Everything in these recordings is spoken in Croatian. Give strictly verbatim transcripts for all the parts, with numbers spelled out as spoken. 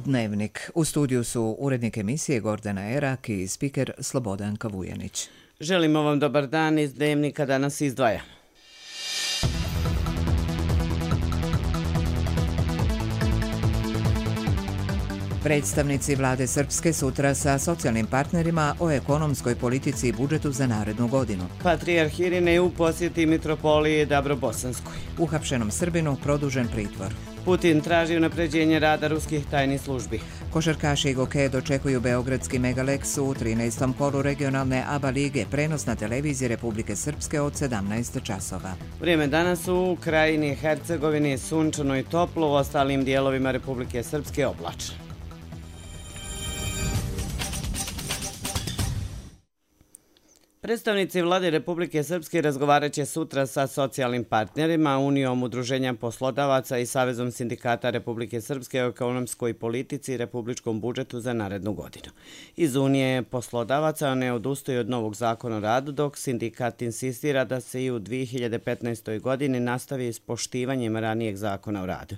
Dnevnik. U studiju su urednik emisije Gordana Erak i spiker Slobodanka Vujanić. Želimo vam dobar dan iz Dnevnika, danas izdvaja. Predstavnici vlade Srpske sutra sa socijalnim partnerima o ekonomskoj politici i budžetu za narednu godinu. Patrijarh Irinej u posjeti mitropolije Dabrobosanskoj. Uhapšenom Srbinu produžen pritvor. Putin traži unapređenje rada ruskih tajnih službi. Košarkaši Goke dočekuju beogradski Megalex u trinaestom kolu regionalne A B A lige, prenos na televiziji Republike Srpske od sedamnaest časova. Vrijeme danas u Krajini Hercegovini sunčano i toplo, u ostalim dijelovima Republike Srpske oblačno. Predstavnici vlade Republike Srpske razgovarat će sutra sa socijalnim partnerima, Unijom udruženja poslodavaca i Savezom sindikata Republike Srpske o ekonomskoj politici i republičkom budžetu za narednu godinu. Iz Unije poslodavaca ne odustaju od novog zakona o radu, dok sindikat insistira da se i u dvije hiljade petnaestoj. godini nastavi s poštivanjem ranijeg zakona o radu.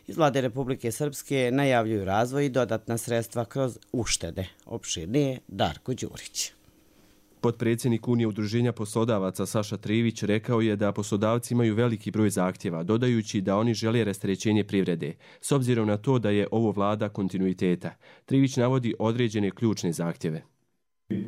Iz vlade Republike Srpske najavljuju razvoj i dodatna sredstva kroz uštede. Opširnije Darko Đurić. Potpredsjednik Unije udruženja poslodavaca Saša Trivić rekao je da poslodavci imaju veliki broj zahtjeva, dodajući da oni žele rasterećenje privrede, s obzirom na to da je ovo vlada kontinuiteta. Trivić navodi određene ključne zahtjeve.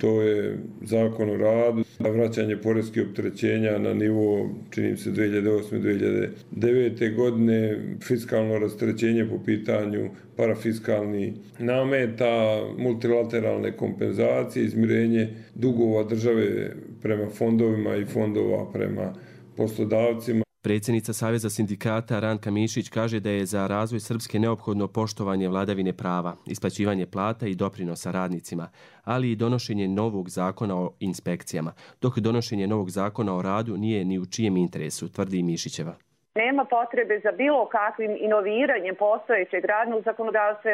To je zakon o radu, vraćanje poreskih opterećenja na nivo, čini se, dvije hiljade osme. do dvije hiljade devete. godine, fiskalno rasterećenje po pitanju parafiskalnih nameta, multilateralne kompenzacije, izmirenje dugova države prema fondovima i fondova prema poslodavcima. Predsjednica Saveza sindikata Ranka Mišić kaže da je za razvoj Srpske neophodno poštovanje vladavine prava, isplaćivanje plata i doprinosa radnicima, ali i donošenje novog zakona o inspekcijama, dok donošenje novog zakona o radu nije ni u čijem interesu, tvrdi Mišićeva. Nema potrebe za bilo kakvim inoviranjem postojećeg radnog zakonodavstva,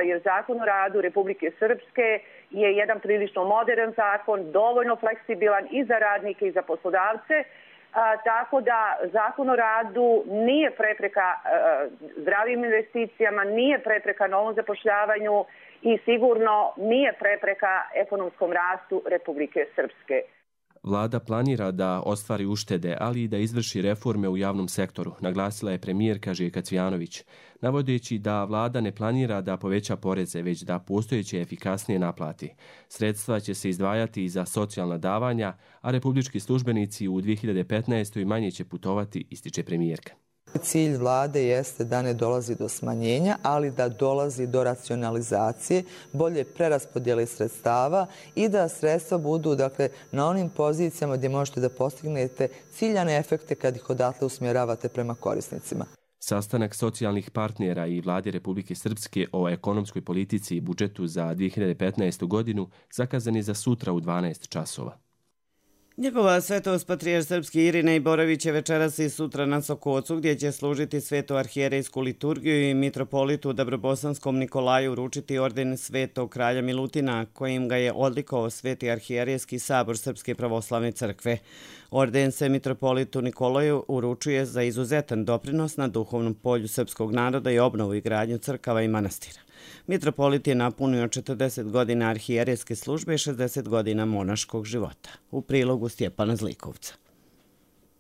jer zakon o radu Republike Srpske je jedan prilično modern zakon, dovoljno fleksibilan i za radnike i za poslodavce. A, tako da zakon o radu nije prepreka a, zdravim investicijama, nije prepreka novom zapošljavanju i sigurno nije prepreka ekonomskom rastu Republike Srpske. Vlada planira da ostvari uštede, ali i da izvrši reforme u javnom sektoru, naglasila je premijerka Željka Cvijanović, navodeći da vlada ne planira da poveća poreze, već da postojeće efikasnije naplati. Sredstva će se izdvajati i za socijalna davanja, a republički službenici u dvije hiljade petnaestoj. manje će putovati, ističe premijerka. Cilj vlade jeste da ne dolazi do smanjenja, ali da dolazi do racionalizacije, bolje preraspodjele sredstava i da sredstva budu, dakle, na onim pozicijama gdje možete da postignete ciljane efekte kad ih odatle usmjeravate prema korisnicima. Sastanak socijalnih partnera i vlade Republike Srpske o ekonomskoj politici i budžetu za dvije hiljade petnaestu. godinu zakazan je za sutra u dvanaest časova. Njegova svetost patrijarh srpski Irinej Borović je večeras i sutra na Sokocu, gdje će služiti svetu arhijerejsku liturgiju i mitropolitu Dabrobosanskom Nikolaju uručiti orden svetog kralja Milutina, kojim ga je odlikovao sveti arhijerejski sabor Srpske pravoslavne crkve. Orden se mitropolitu Nikolaju uručuje za izuzetan doprinos na duhovnom polju srpskog naroda i obnovu i gradnju crkava i manastira. Mitropolit je napunio četrdeset godina arhijerejske službe i šezdeset godina monaškog života. U prilogu Stjepana Zlikovca.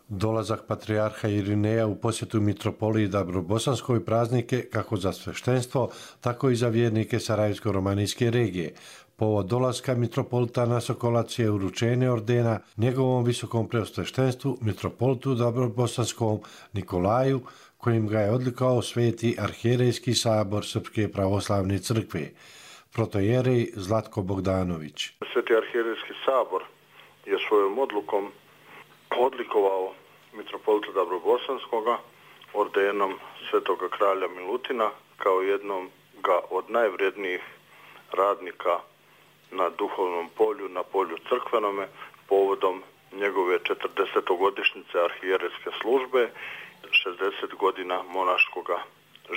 Dolazak patrijarha Irineja u posjetu mitropoliji Dabrobosanskoj praznike kako za sveštenstvo, tako i za vjernike Sarajevsko-romanijske regije. Povod dolaska mitropolita na Sokolac je uručenje ordena njegovom visokom preosveštenstvu mitropolitu Dabrobosanskom Nikolaju, kojim ga je odlikovao sveti arhijerejski sabor Srpske pravoslavne crkve. Protojerej Zlatko Bogdanović. Sveti arhijerejski sabor je svojom odlukom odlikovao mitropolita Dabrobosanskoga ordenom svetoga kralja Milutina kao jednom ga od najvrednijih radnika na duhovnom polju, na polju crkvenome, povodom njegove četrdesetogodišnjice arhijerejske službe, šezdeset godina monaškoga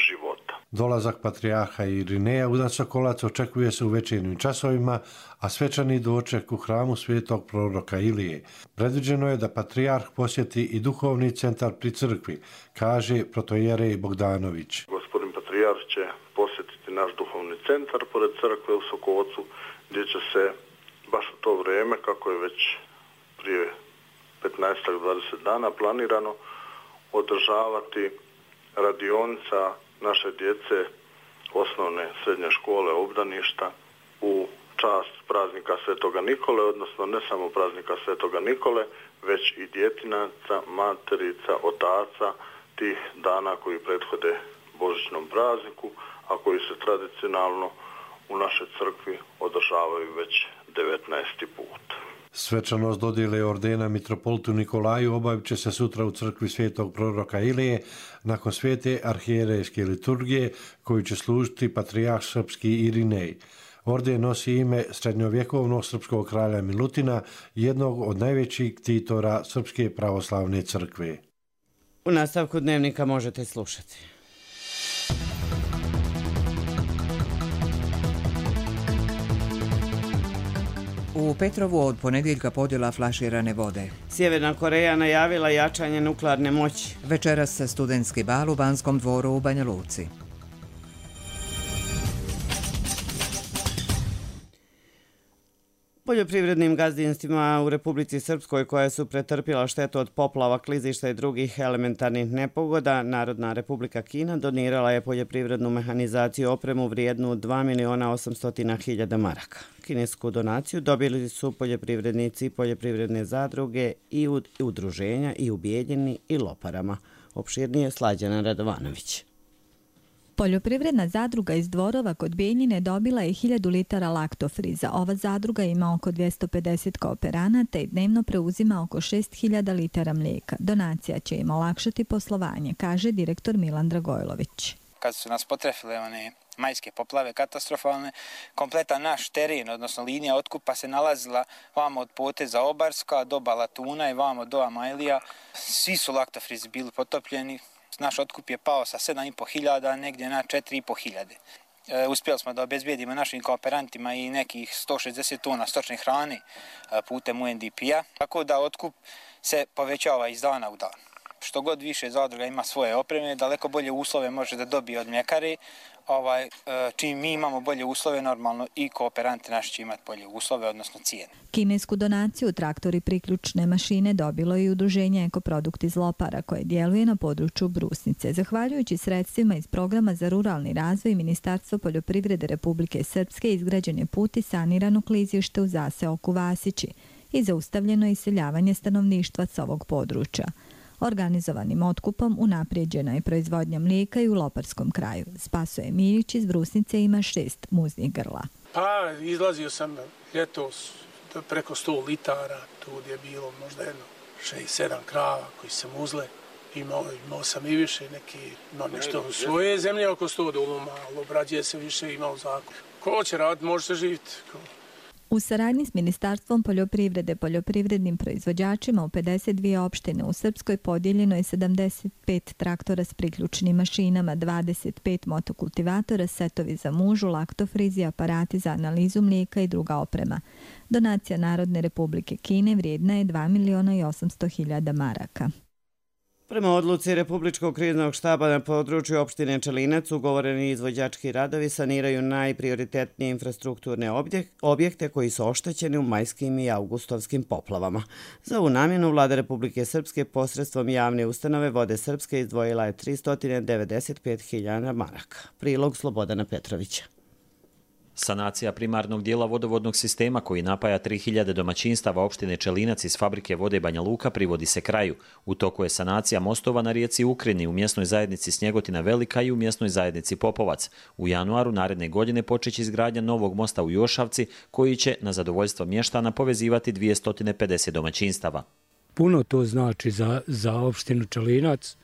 života. Dolazak patrijarha Irineja u dan Sokolac očekuje se u večernjim časovima, a svečani doček u hramu svetog proroka Ilije. Predviđeno je da patrijarh posjeti i duhovni centar pri crkvi, kaže protojerej Bogdanović. Gospodin patrijarh će posjetiti naš duhovni centar pored crkve u Sokocu, gdje će se baš u to vrijeme, kako je već prije petnaest do dvadeset dana planirano, održavati radionica naše djece osnovne srednje škole obdaništa u čast praznika Svetoga Nikole, odnosno ne samo praznika Svetoga Nikole, već i djetinaca, materica, otaca tih dana koji prethode božićnom prazniku, a koji se tradicionalno u našoj crkvi održavaju već devetnaesti put. Svečanost dodjele ordena mitropolitu Nikolaju obavit će se sutra u crkvi svetog proroka Ilije nakon svete arhijerejske liturgije koju će služiti patrijarh srpski Irinej. Orden nosi ime srednjovjekovnog srpskog kralja Milutina, jednog od najvećih ktitora Srpske pravoslavne crkve. U nastavku dnevnika možete slušati. U Petrovu od ponedjeljka podjela flaširane vode. Sjeverna Koreja najavila jačanje nuklearne moći. Večeras se studentski bal u Banskom dvoru u Banja Luci. Poljoprivrednim gazdinstvima u Republici Srpskoj koje su pretrpjela štetu od poplava, klizišta i drugih elementarnih nepogoda, Narodna Republika Kina donirala je poljoprivrednu mehanizaciju i opremu vrijednu dva miliona osamsto hiljada maraka. Kinesku donaciju dobili su poljoprivrednici, poljoprivredne zadruge i udruženja i u Bijeljini i Loparama. Opširnije Slađana Radovanović. Poljoprivredna zadruga iz Dvorova kod Bijeljine dobila je hiljadu litara laktofriza. Ova zadruga ima oko dvjesto pedeset kooperanata i dnevno preuzima oko šest hiljada litara mlijeka. Donacija će im olakšati poslovanje, kaže direktor Milan Dragojlović. Kad su nas potrefile one majske poplave katastrofalne, kompletan naš teren, odnosno linija otkupa se nalazila vamo od poteza Obarska do Balatuna i vamo do Amajlija. Svi su laktofrizi bili potopljeni. Naš otkup je pao sa sedam i po hiljada negdje na četiri i po hiljade. E, uspjeli smo da obezbijedimo našim kooperantima i nekih sto šezdeset tona stočne hrane e, putem U N D P-a, tako da otkup se povećava iz dana u dan. Što god više zadruga ima svoje opreme, daleko bolje uslove može da dobije od mljekare. Ovaj, čim mi imamo bolje uslove, normalno i kooperanti naši će imati bolje uslove, odnosno cijene. Kinesku donaciju traktori priključne mašine dobilo i udruženje Ekoprodukt iz Lopara koje djeluje na području Brusnice. Zahvaljujući sredstvima iz programa za ruralni razvoj Ministarstvo poljoprivrede Republike Srpske izgrađen je put i sanirano klizište u zaseoku Vasići i zaustavljeno iseljavanje stanovništva s ovog područja. Organizovanim otkupom unaprijeđena je proizvodnja mlijeka i u Loparskom kraju. Spasoje Milić iz Brusnice ima šest muznih grla. Pa, izlazio sam ljetos preko sto litara, tu je bilo možda jedno šest sedam krava koji sam uzle. Imao, imao sam i više, neki, imao nešto u svoje zemlje oko sto duluma, ali obrađuje se više, imao zakon. Ko će raditi, može se živjeti. U saradnji s Ministarstvom poljoprivrede poljoprivrednim proizvođačima u pedeset dvije opštine u Srpskoj podijeljeno je sedamdeset pet traktora s priključnim mašinama, dvadeset pet motokultivatora, setovi za mužu, laktofrizi, aparati za analizu mlijeka i druga oprema. Donacija Narodne Republike Kine vrijedna je dva miliona i osamsto hiljada maraka. Prema odluci Republičkog kriznog štaba na području opštine Čelinac ugovoreni izvođački radovi saniraju najprioritetnije infrastrukturne objekte koji su oštećeni u majskim i augustovskim poplavama. Za ovu namjenu Vlada Republike Srpske posredstvom javne ustanove Vode Srpske izdvojila je tristo devedeset pet hiljada maraka. Prilog Slobodana Petrovića. Sanacija primarnog dijela vodovodnog sistema koji napaja tri hiljade domaćinstava opštine Čelinac iz fabrike vode Banja Luka privodi se kraju. U toku je sanacija mostova na rijeci Ukrini u mjesnoj zajednici Snjegotina Velika i u mjesnoj zajednici Popovac. U januaru naredne godine počeće izgradnja novog mosta u Jošavci koji će na zadovoljstvo mještana povezivati dvjesto pedeset domaćinstava. Puno to znači za, za opštinu Čelinac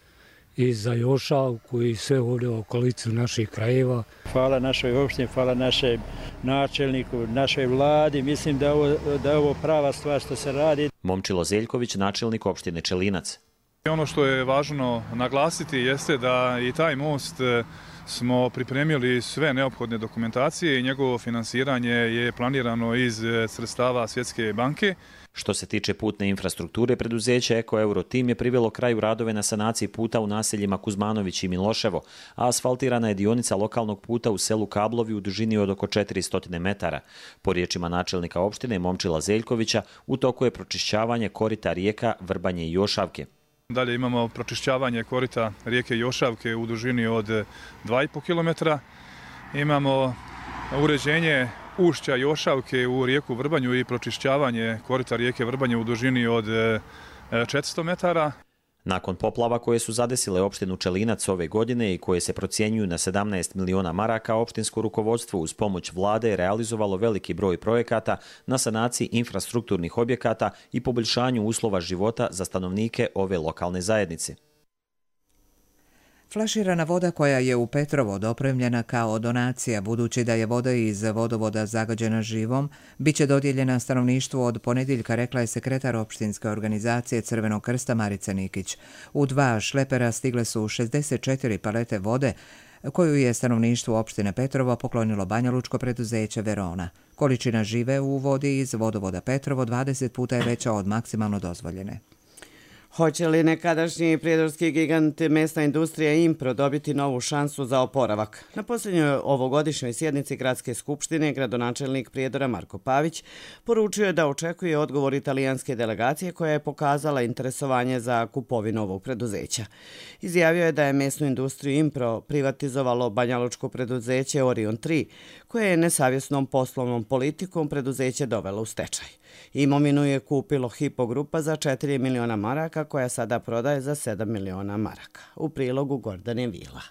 i za Jošavku i sve ovdje u okolicu naših krajeva. Hvala našoj opštini, hvala našem načelniku, našoj vladi. Mislim da, ovo, da je ovo prava stvar što se radi. Momčilo Zeljković, načelnik opštine Čelinac. Ono što je važno naglasiti jeste da i taj most smo pripremili sve neophodne dokumentacije i njegovo finansiranje je planirano iz sredstava Svjetske banke. Što se tiče putne infrastrukture, preduzeće Eko Euro Tim je privelo kraju radove na sanaciji puta u naseljima Kuzmanović i Miloševo, a asfaltirana je dionica lokalnog puta u selu Kablovi u dužini od oko četiristo metara. Po riječima načelnika opštine Momčila Zeljkovića, u toku je pročišćavanje korita rijeka Vrbanje i Jošavke. Dalje imamo pročišćavanje korita rijeke Jošavke u dužini od dva i po kilometra. Imamo uređenje ušća Jošavke u rijeku Vrbanju i pročišćavanje korita rijeke Vrbanje u dužini od četiristo metara. Nakon poplava koje su zadesile opštinu Čelinac ove godine i koje se procjenjuju na sedamnaest miliona maraka, opštinsko rukovodstvo uz pomoć vlade je realizovalo veliki broj projekata na sanaciji infrastrukturnih objekata i poboljšanju uslova života za stanovnike ove lokalne zajednice. Flaširana voda koja je u Petrovod opremljena kao donacija, budući da je voda iz vodovoda zagađena živom, bit će dodijeljena stanovništvu od ponedjeljka, rekla je sekretar opštinske organizacije Crvenog krsta Marica Nikić. U dva šlepera stigle su šezdeset četiri palete vode, koju je stanovništvu opštine Petrovo poklonilo banjalučko preduzeće Verona. Količina žive u vodi iz vodovoda Petrovo dvadeset puta je veća od maksimalno dozvoljene. Hoće li nekadašnji prijedorski gigant mesna industrija Impro dobiti novu šansu za oporavak? Na posljednjoj ovogodišnjoj sjednici Gradske skupštine gradonačelnik Prijedora Marko Pavić poručio je da očekuje odgovor italijanske delegacije koja je pokazala interesovanje za kupovinu ovog preduzeća. Izjavio je da je mesnu industriju Impro privatizovalo banjalučko preduzeće Orion tri, koje je nesavjesnom poslovnom politikom preduzeće dovelo u stečaj. Imovinu je kupilo Hypo grupa za četiri miliona maraka, koja sada prodaje za sedam miliona maraka. U prilogu Gordane Vila.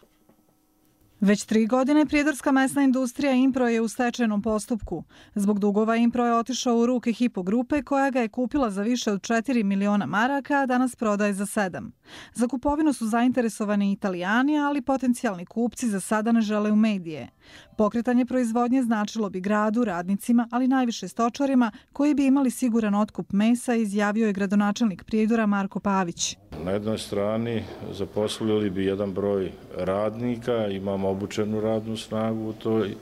Već tri godine prijedorska mesna industrija Impro je u stečajnom postupku. Zbog dugova Impro je otišao u ruke Hypo grupe koja ga je kupila za više od četiri miliona maraka, a danas prodaje za sedam. Za kupovinu su zainteresovani Italijani, ali potencijalni kupci za sada ne žele u medije. Pokretanje proizvodnje značilo bi gradu, radnicima, ali najviše stočarima koji bi imali siguran otkup mesa, izjavio je gradonačelnik Prijedora Marko Pavić. Na jednoj strani zaposlili bi jedan broj radnika, imamo obučenu radnu snagu u toj e,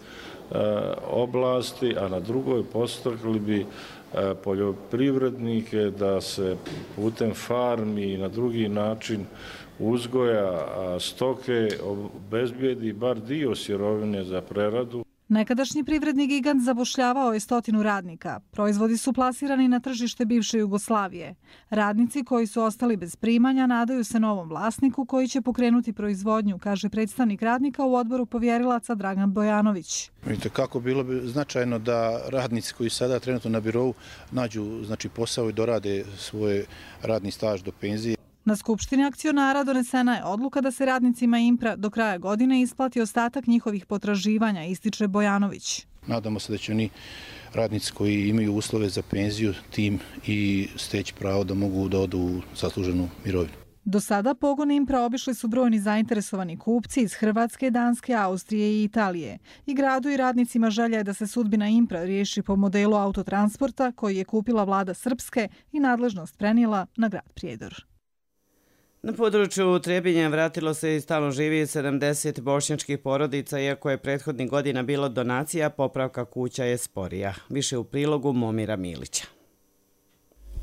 oblasti, a na drugoj podstakli bi e, poljoprivrednike da se putem farmi i na drugi način uzgoja stoke obezbijedi bar dio sirovine za preradu. Nekadašnji privredni gigant zapošljavao je stotinu radnika. Proizvodi su plasirani na tržište bivše Jugoslavije. Radnici koji su ostali bez primanja nadaju se novom vlasniku koji će pokrenuti proizvodnju, kaže predstavnik radnika u odboru povjerilaca Dragan Bojanović. Vidite kako bilo bi značajno da radnici koji sada trenutno na birovu nađu znači, posao i dorade svoj radni staž do penzije. Na Skupštini akcionara donesena je odluka da se radnicima Impra do kraja godine isplati ostatak njihovih potraživanja, ističe Bojanović. Nadamo se da će oni radnici koji imaju uslove za penziju tim i steći pravo da mogu da odu u zasluženu mirovinu. Do sada pogon Impra obišli su brojni zainteresovani kupci iz Hrvatske, Danske, Austrije i Italije. I gradu i radnicima želja je da se sudbina Impra riješi po modelu autotransporta koji je kupila vlada Srpske i nadležnost prenijela na grad Prijedor. Na području Trebinja vratilo se i stalno živi sedamdeset bošnjačkih porodica, iako je prethodnih godina bilo donacija, popravka kuća je sporija. Više u prilogu Momira Milića.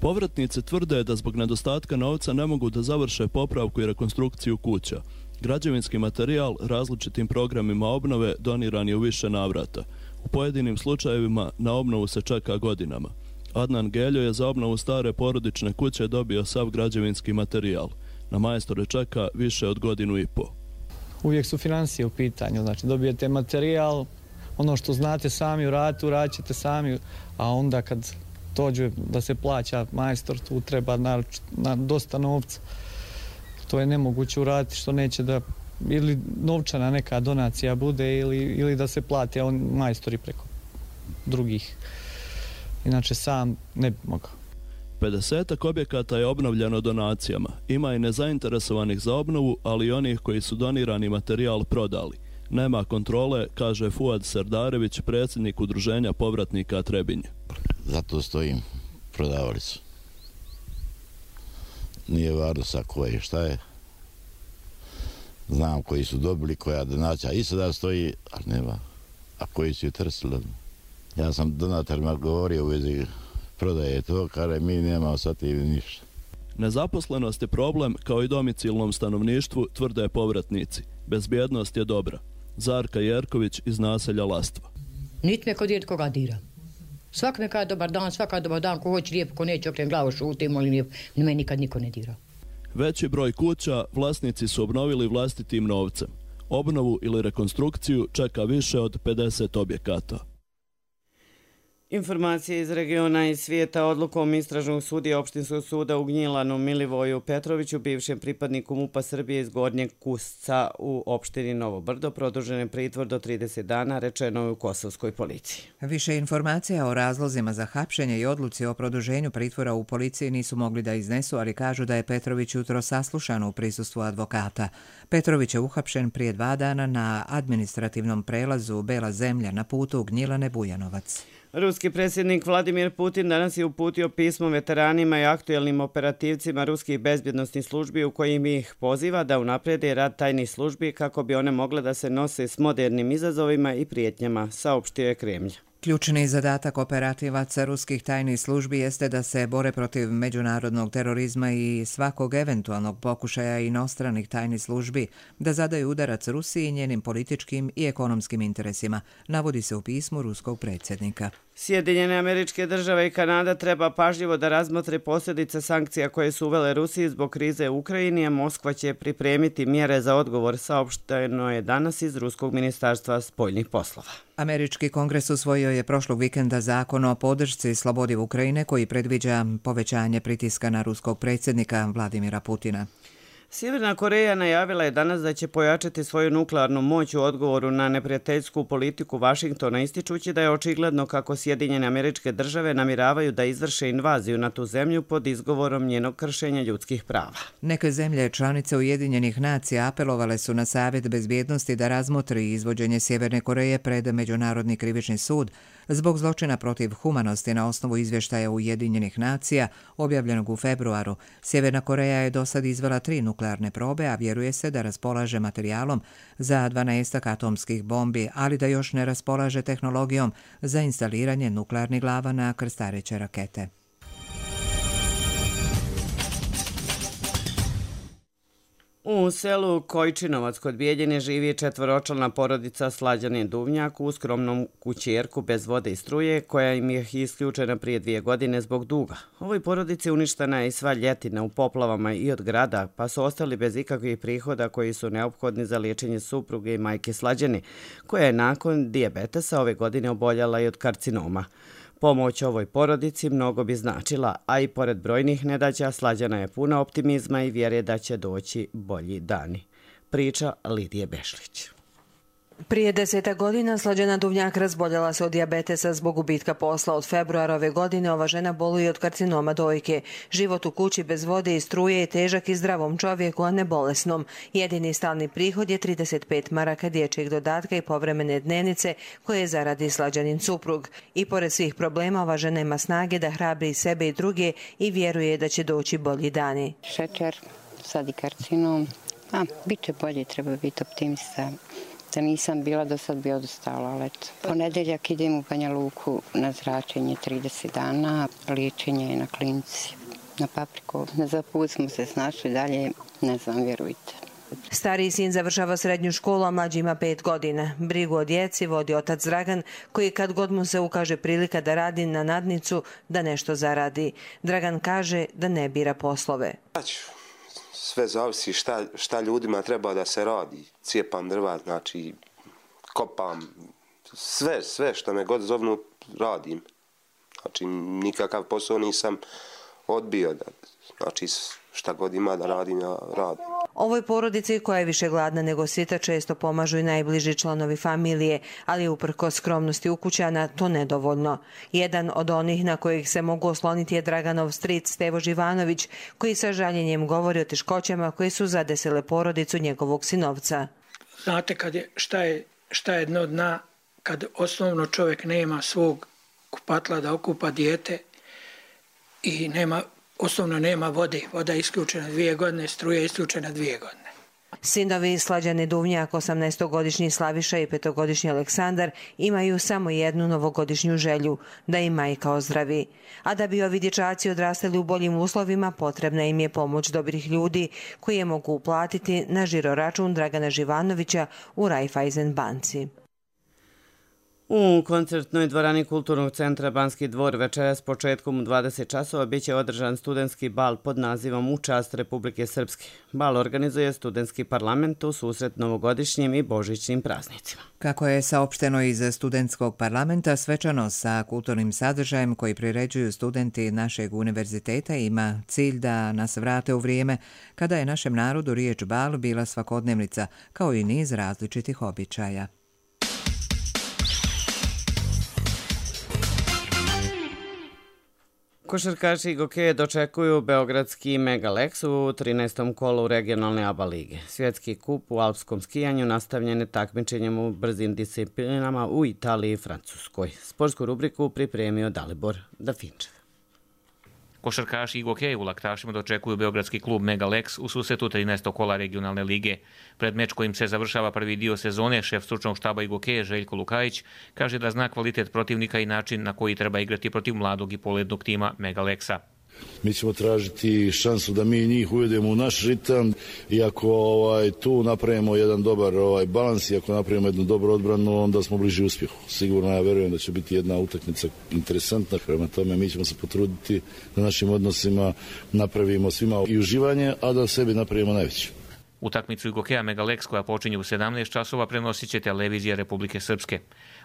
Povratnice tvrde da zbog nedostatka novca ne mogu da završe popravku i rekonstrukciju kuća. Građevinski materijal različitim programima obnove doniran je u više navrata. U pojedinim slučajevima na obnovu se čeka godinama. Adnan Geljo je za obnovu stare porodične kuće dobio sav građevinski materijal. Na majstore čeka više od godinu i po. Uvijek su financije u pitanju, znači dobijete materijal, ono što znate sami uraditi, uradit ćete sami, a onda kad dođe da se plaća majstor, tu treba na, na dosta novca. To je nemoguće uraditi što neće da ili novčana neka donacija bude ili, ili da se plati on majstori preko drugih. Inače sam ne bi mogao. pedesetak objekata je obnovljeno donacijama. Ima i nezainteresovanih za obnovu, ali i onih koji su donirani materijal prodali. Nema kontrole, kaže Fuad Serdarević, predsjednik udruženja povratnika Trebinje. Zato stojim, prodavali su. nije važno sa koje šta je. Znam koji su dobili, koja donacija i sada stoji, a nema. A koji su ju trsili. Ja sam donatorima govorio u vezi prodaje to, kada mi nemamo sad i ništa. Nezaposlenost je problem kao i domicilnom stanovništvu, tvrde povratnici. Bezbjednost je dobra. Zarka Jerković iz naselja Lastva. Niti me kod djed koga dira. Svak neka je dobar dan, svaka je dobar dan, ko hoće lijepo, ko neće okren glavu šutimo ili lijepo. Me nikad niko ne dira. Veći broj kuća vlasnici su obnovili vlastitim novcem. Obnovu ili rekonstrukciju čeka više od pedeset objekata. Informacije iz regiona i svijeta. Odlukom istražnog sudija Opštinskog suda u Gnjilanu Milivoju Petroviću, bivšem pripadniku MUP-a Srbije iz Gornjeg Kusca u opštini Novo Brdo, produžen je pritvor do trideset dana, rečeno je u kosovskoj policiji. Više informacija o razlozima za hapšenje i odluci o produženju pritvora u policiji nisu mogli da iznesu, ali kažu da je Petrović jutro saslušan u prisustvu advokata. Petrović je uhapšen prije dva dana na administrativnom prelazu Bela zemlja na putu Gnjilane Bujanovac. Ruski predsjednik Vladimir Putin danas je uputio pismo veteranima i aktuelnim operativcima ruskih bezbjednostnih službi u kojim ih poziva da unaprede rad tajnih službi kako bi one mogle da se nose s modernim izazovima i prijetnjama, saopštio je Kremlj. Ključni zadatak operativaca ruskih tajnih službi jeste da se bore protiv međunarodnog terorizma i svakog eventualnog pokušaja inostranih tajnih službi da zadaju udarac Rusiji i njenim političkim i ekonomskim interesima, navodi se u pismu ruskog predsjednika. Sjedinjene Američke Države i Kanada treba pažljivo da razmotre posljedice sankcija koje su uvele Rusiji zbog krize u Ukrajini, a Moskva će pripremiti mjere za odgovor, saopšteno je danas iz Ruskog ministarstva spoljnih poslova. Američki kongres usvojio je prošlog vikenda zakon o podršci slobodi Ukrajine koji predviđa povećanje pritiska na ruskog predsjednika Vladimira Putina. Sjeverna Koreja najavila je danas da će pojačati svoju nuklearnu moć u odgovoru na neprijateljsku politiku Vašingtona, ističući da je očigledno kako Sjedinjene Američke Države namiravaju da izvrše invaziju na tu zemlju pod izgovorom njenog kršenja ljudskih prava. Neke zemlje članice Ujedinjenih nacija apelovale su na Savjet bezbjednosti da razmotri izvođenje Sjeverne Koreje pred Međunarodni krivični sud zbog zločina protiv humanosti na osnovu izvještaja Ujedinjenih nacija objavljenog u februaru. Sjeverna Koreja je do sad izvela tri nuklearne probe, a vjeruje se da raspolaže materijalom za dvanaestak atomskih bombi, ali da još ne raspolaže tehnologijom za instaliranje nuklearnih glava na krstareće rakete. U selu Kojčinovac kod Bijeljine živi četvoročlana porodica Slađanin Duvnjak u skromnom kućerku bez vode i struje koja im je isključena prije dvije godine zbog duga. Ovoj porodici uništena je i sva ljetina u poplavama i od grada, pa su ostali bez ikakvih prihoda koji su neophodni za liječenje supruge i majke Slađane, koja je nakon dijabetesa ove godine oboljela i od karcinoma. Pomoć ovoj porodici mnogo bi značila, a i pored brojnih nedaća Slađana je puna optimizma i vjere da će doći bolji dani. Priča Lidije Bešlić. Prije deseta godina Slađana Duvnjak razboljela se od dijabetesa zbog gubitka posla. Od februara ove godine ova žena boluje od karcinoma dojke. Život u kući bez vode i struje je težak i zdravom čovjeku, a ne bolesnom. Jedini stalni prihod je trideset pet maraka dječjeg dodatka i povremene dnevnice koje zaradi Slađanin suprug. I pored svih problema ova žena ima snage da hrabri sebe i druge i vjeruje da će doći bolji dani. Šećer, sad i karcinom, a bit će bolje, treba biti optimista. Da nisam bila, do sad bi odostala, ali eto. Ponedeljak idem u Banja Luku na zračenje trideset dana, liječenje na klinici, na Papriku. Za put smo se snašli dalje, ne znam, vjerujte. Stariji sin završava srednju školu, a mlađi ima pet godina. Brigu o djeci vodi otac Dragan, koji kad god mu se ukaže prilika da radi na nadnicu, da nešto zaradi. Dragan kaže da ne bira poslove. Sve zavisi šta, šta ljudima treba da se radi. Cijepam drva, znači kopam, sve, sve što me god zovnu radim. Znači nikakav posao nisam odbio. Da, znači šta god ima da radim, ja radim. Ovoj porodici koja je više gladna nego sita često pomažu i najbliži članovi familije, ali uprkos skromnosti ukućana to nedovoljno. Jedan od onih na kojih se mogu osloniti je Draganov stric Stevo Živanović, koji sa žaljenjem govori o teškoćama koje su zadesile porodicu njegovog sinovca. Znate kad je, šta, je, šta je dno dna, kad osnovno čovjek nema svog kupatla da okupa dijete i nema osnovno nema vode. Voda je isključena dvije godine, struja je isključena dvije godine. Sinovi Slađane Duvnjak, osamnaestogodišnji Slaviša i petogodišnji Aleksandar imaju samo jednu novogodišnju želju, da im majka ozdravi. A da bi ovi dječaci odrastali u boljim uslovima, potrebna im je pomoć dobrih ljudi koji je mogu uplatiti na žiroračun Dragana Živanovića u Raiffeisen banci. U koncertnoj dvorani Kulturnog centra Banski dvor večeras početkom u dvadeset časova biće održan studentski bal pod nazivom U čast Republike Srpske. Bal organizuje studentski parlament u susret novogodišnjim i božićnim praznicima. Kako je saopšteno iz studentskog parlamenta, svečano sa kulturnim sadržajem koji priređuju studenti našeg univerziteta ima cilj da nas vrate u vrijeme kada je našem narodu riječ bal bila svakodnevnica, kao i niz različitih običaja. Košarkaši Gokeje dočekuju beogradski Megalex u trinaestom kolu regionalne A B A lige. Svjetski kup u alpskom skijanju nastavljen je takmičenjem u brzim disciplinama u Italiji i Francuskoj. Sportsku rubriku pripremio Dalibor Dafinčev. Košarkaši i gokeji u laktašima dočekuju beogradski klub Megalex u susretu trinaestog kola regionalne lige. Pred meč kojim se završava prvi dio sezone, šef stručnog štaba i gokeje Željko Lukajić kaže da zna kvalitet protivnika i način na koji treba igrati protiv mladog i polednog tima Megalexa. Mi ćemo tražiti šansu da mi njih uvedemo u naš ritam i ako ovaj, tu napravimo jedan dobar ovaj, balans i ako napravimo jednu dobru odbranu, onda smo bliži uspjehu. Sigurno ja vjerujem da će biti jedna utakmica interesantna. Prema tome mi ćemo se potruditi da našim odnosima napravimo svima i uživanje, a da sebi napravimo najveće. Utakmicu i gokeja Megalex koja počinje u sedamnaest časova prenosit će televizija Republike Srpske.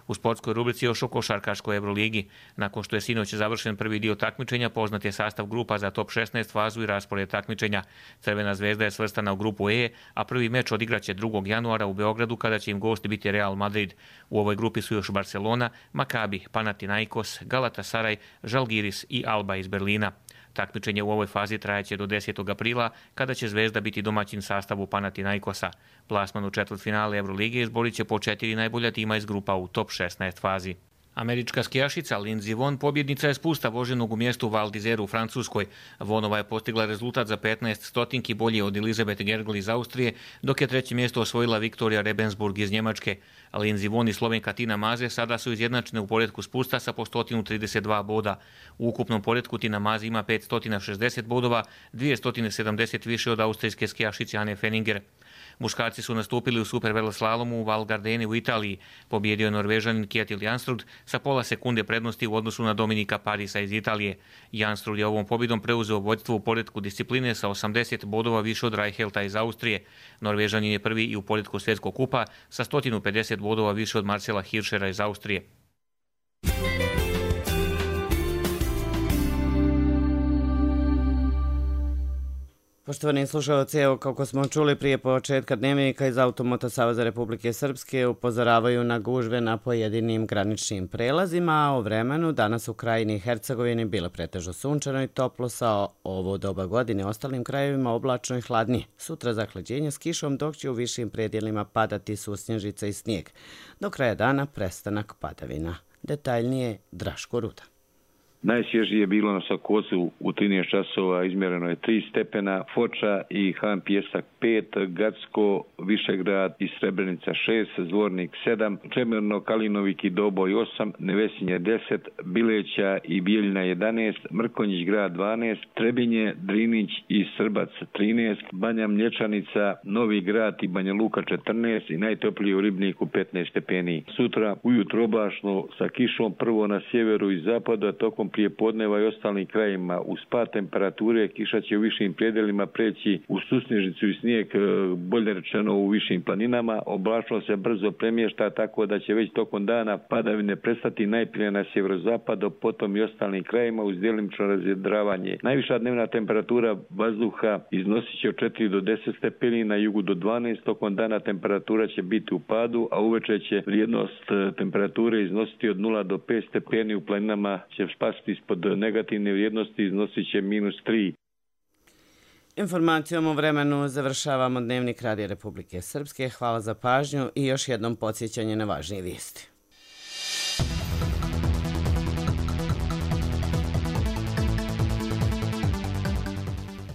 U sportskoj rubrici još o košarkaškoj Euroligi. Nakon što je sinoć završen prvi dio takmičenja, poznat je sastav grupa za top šesnaest fazu i raspored takmičenja. Crvena zvezda je svrstana u grupu E, a prvi meč odigraće drugog januara u Beogradu kada će im gost biti Real Madrid. U ovoj grupi su još Barcelona, Makabi, Panathinaikos, Galatasaray, Žalgiris i Alba iz Berlina. Takmičenje u ovoj fazi trajaće do desetog aprila, kada će Zvezda biti domaćin sastavu Panathinaikosa. Plasman u četvrtfinale Euroligije izborit će po četiri najbolja tima iz grupa u top šesnaest fazi. Američka skijašica Lindsey Vonn pobjednica je spusta voženog u mjestu Val d'Isère u Francuskoj. Vonova je postigla rezultat za petnaest stotinki bolje od Elizabeth Gergel iz Austrije, dok je treće mjesto osvojila Viktorija Rebensburg iz Njemačke. Lindsey Vonn i Slovenka Tina Maze sada su izjednačene u poretku spusta sa po sto trideset dva boda. U ukupnom poretku Tina Maze ima petsto šezdeset bodova, dvjesto sedamdeset više od austrijske skijašice Anne Fenninger. Muškarci su nastupili u superveleslalomu u Val Gardeni u Italiji. Pobjedio je Norvežanin Kjetil Jansrud sa pola sekunde prednosti u odnosu na Dominika Parisa iz Italije. Jansrud je ovom pobjedom preuzeo vodstvo u poretku discipline sa osamdeset bodova više od Reihelta iz Austrije. Norvežanin je prvi i u poretku svjetskog kupa sa sto pedeset bodova više od Marcela Hirschera iz Austrije. Poštovani slušalci, evo kako smo čuli prije početka dnevnika iz Automoto Saveza Republike Srpske upozoravaju na gužve na pojedinim graničnim prelazima, a o vremenu danas u krajini Hercegovini bilo pretežno sunčano i toplo sa ovo doba godine, ostalim krajevima oblačno i hladnije. Sutra zahlađenje s kišom, dok će u višim predjelima padati susnježica i snijeg. Do kraja dana prestanak padavina. Detaljnije Draško Ruda. Najsvježije je bilo na Sokocu u trinaest časova, izmjereno je tri stepena, Foča i Han Pjesak pet, Gacko, Višegrad i Srebrenica šest, Zvornik sedam, Čemerno, Kalinovik i Doboj osam, Nevesinje deset, Bileća i Bijeljina jedanaest, Mrkonjić grad dvanaest, Trebinje, Drinić i Srbac trinaest, Banja Mlječanica, Novi grad i Banja Luka četrnaest i najtoplije u Ribniku petnaest stepeni. Sutra ujutro oblačno sa kišom prvo na sjeveru i zapadu, a tokom prije podneva i ostalim krajima. Uz pad temperature kiša će u višim predjelima preći u susnježicu i snijeg, bolje rečeno u višim planinama. Oblačnost se brzo premješta, tako da će već tokom dana padavine prestati najprije na sjeverozapadu, potom i ostalim krajima uz djelimično razjedravanje. Najviša dnevna temperatura vazduha iznosit će od četiri do deset stepeni, na jugu do dvanaest, tokom dana temperatura će biti u padu, a uveče će vrijednost temperature iznositi od nula do pet stepeni, u planinama će spasti ispod negativne vrijednosti, iznosit će minus tri. Informacijom o vremenu završavamo Dnevnik Radija Republike Srpske. Hvala za pažnju i još jednom podsjećanje na važnije vijesti.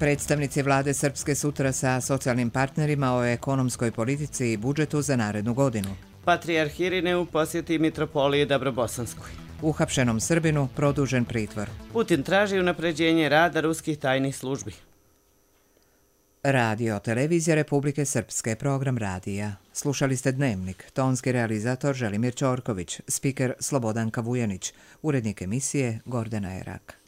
Predstavnici vlade Srpske sutra sa socijalnim partnerima o ekonomskoj politici i budžetu za narednu godinu. Patrijarh Irine u posjeti Mitropoliji Dabrobosanskoj. Uhapšenom Srbinu produžen pritvor. Putin traži unapređenje rada ruskih tajnih službi. Radio Televizija Republike Srpske, program radija. Slušali ste Dnevnik, tonski realizator Želimir Ćorković, spiker Slobodanka Vujanić, urednik emisije Gordana Erak.